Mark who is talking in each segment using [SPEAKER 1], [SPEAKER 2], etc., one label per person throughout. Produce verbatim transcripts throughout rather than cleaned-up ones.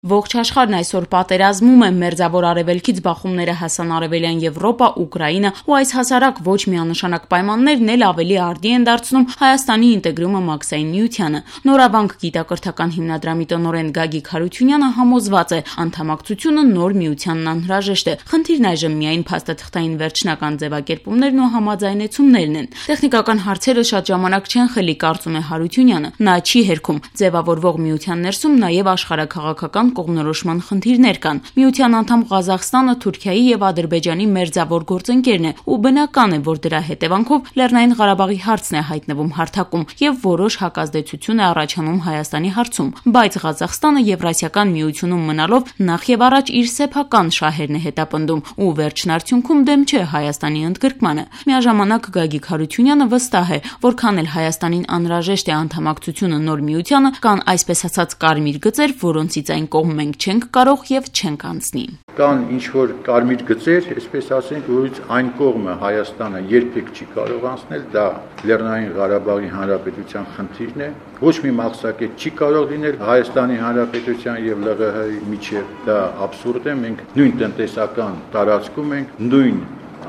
[SPEAKER 1] Ողջ աշխարհն այսօր պատերազմում է, մերձավոր արևելքից բախումները հասան արևելյան Եվրոպա, Ուկրաինա ու այս հասարակ ոչ միանշանակ պայմաններն էլ ավելի արդի են դարձնում Հայաստանի ինտեգրումը Մաքսային միությանը։ Նորավանք գիտակրթական հիմնադրամի տնօրեն Գագիկ Հարությունյանը համոզված է, անդամակցությունը նոր միությանն անհրաժեշտ է։ Խնդիրն այժմ միայն փաստաթղթային վերջնական ձևակերպումներն ու համաձայնեցումներն են։ Տեխնիկական հարցերը շատ ժամանակ չեն խլի, կարծում է Հարությունյանը։ Նա չի հերքում ձևավորվող միության ներսում նաև աշխարհաքաղաքական կողմնորոշման խնդիրներ կան։ Միության անդամ Ղազախստանը Թուրքիայի եւ Ադրբեջանի մերձավոր գործընկերն է ու բնական է, որ դրա հետևանքով Լեռնային Ղարաբաղի հարցն է հայտնվում հարթակում եւ որոշ հակազդեցություն է առաջանում Հայաստանի հարցում, բայց Ղազախստանը Եվրասիական միությունում մնալով նախ եւ առաջ իր սեփական շահերն է հետապնդում ու վերջնարդյունքում դեմ չէ Հայաստանի ընդգրկմանը։ Միաժամանակ Գագիկ Հարությունյանը վստահ է, որքան էլ Հայաստանին անհրաժեշտ է անդամակցությունը նոր միությանը, կան այսպես ասած կարմիր գծեր, որոնցից այն կողմ մենք չենք կարող եւ չենք անցնի։
[SPEAKER 2] Կան ինչ որ կարմիր գծեր, այսպես ասենք, որից այն կողմը Հայաստանը երբեք չի կարող անցնել, դա Լեռնային Ղարաբաղի Հանրապետության խնդիրն է։ Ոչ մի մաքսակետ չի կարող լինել Հայաստանի Հանրապետության եւ Լ Ղ Հ-ի միջեւ, դա աբսուրդ է, մենք նույն տնտեսական տարածքում ենք, նույն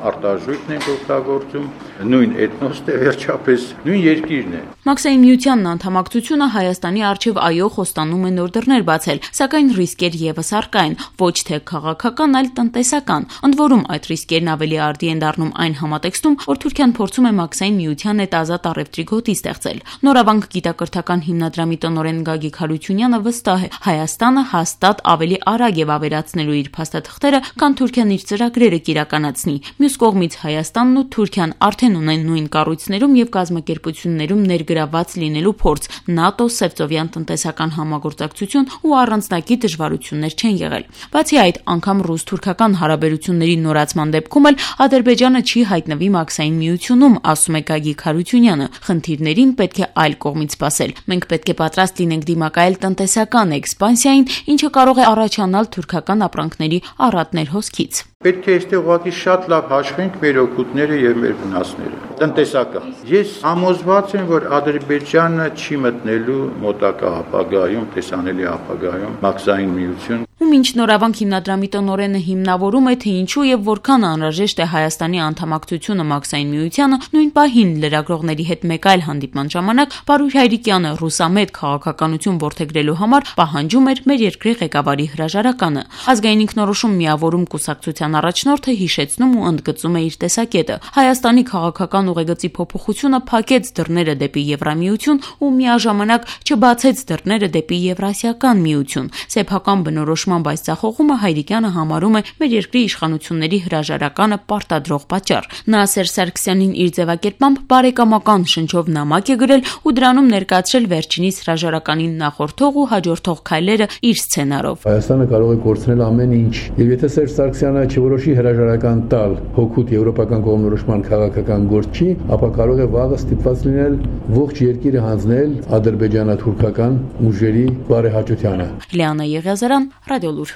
[SPEAKER 2] արտարժույթն ենք օգտագործում, նույն էթնոսն է, վերջապես նույն երկիրն է։
[SPEAKER 1] Մաքսային միության անդամակցությունը Հայաստանի առջև այո խոստանում է նոր դռներ բացել, սակայն ռիսկեր եւս առկա են, ոչ թե քաղաքական, այլ տնտեսական։ Ընդ որում այդ ռիսկերն ավելի արդի են դառնում այն համատեքստում, որ Թուրքիան փորձում է Մաքսային միության հետ ազատ առևտրի գոտի ստեղծել։ Նորավանք գիտակրթական հիմնադրամի տնօրեն Գագիկ Հարությունյանը վստահ է, Հայաստանը հաստատ ավելի արագ է վավերացնելու իր փաստաթղթերը, քան Թուրքիան իր ծրագրերը կիրականացնի։ Մյուս կողմից Հայաստանն ու Թուրքիան արդեն ունեն նույն կառույցներում եւ կազմակերպություններում ներգրաված լինելու փորձ, ՆԱՏՕ, Սևծովյան տնտեսական համագործակցություն ու առանձնակի դժվարություններ չեն եղել։ Բացի այդ, անգամ ռուս-թուրքական հարաբերությունների նորացման դեպքում էլ Ադրբեջանը չի հայտնվի Մաքսային միությունում, ասում է Գագիկ Հարությունյանը։ Խնդիրներին պետք է այլ կողմից սպասել։ Մենք պետք է պատրաստ լինենք դիմակայել տնտեսական էքսպանսիային, ինչը կարող է առաջանալ թուրքական ապրանքների առատներ հոսքից։
[SPEAKER 2] Պետք է այստեղ ուղղակի շատ լավ հաշվենք մեր օգուտները եւ մեր վնասները։ Տնտեսական։ Ես համոզված եմ, որ Ադրբեջանը չի մտնելու մոտակա ապագայում, տեսանելի ապագայում Մաքսային միություն։
[SPEAKER 1] Ու մինչ Նորավանք հիմնադրամի տնօրենը հիմնավորում է, թե ինչու եւ որքան անհրաժեշտ է Հայաստանի անդամակցությունը Մաքսային միությանը, նույն պահին լրագրողների հետ մեկ այլ հանդիպման ժամանակ Պարուհ Հայրիկյանը ռուսամետ քաղաքականություն որդեգրելու համար պահանջում էր մեր երկրի ղեկավարի հրաժարականը։ Ազգային ինքնորոշում միավորում կուսակցության առաջնորդը հիշեցնում ու ընդգծում է իր տեսակետը։ Հայաստանի քաղաքական ուղեգծի փոփոխությունը փակեց դռները դեպի Եվրամիություն ու միաժամանակ չբացեց դռները դեպի Եվրասիական միություն։ Սեփական բնորոշմամբ այս ցախողումը Հայրիկյանը համարում է մեր երկրի իշխանությունների հրաժարականը պարտադրող պատճառ։ Նա Սերժ Սարգսյանին իր ձևակերպմամբ բարեկամական շնչով նամակ է գրել ու դրանում ներկայացրել վերջինիս հրաժարականին նախորդող ու հաջորդող քայլերը իր սցենարով։
[SPEAKER 3] Հայաստանը կարող է կորցնել ամեն ինչ, եւ եթե Սերժ Սարգսյանը չորոշի հրաժարական տալ հօգուտ եվրոպական կողմնորոշման քաղաքական գործի, ապա կարող է վաղը ստիպված լինել ողջ երկիրը հանձնել ադրբեջանա-թուրքական ուժերի բարեհաճությանը։
[SPEAKER 1] Լիանա Եղիազարյան, Ռադիոլուր։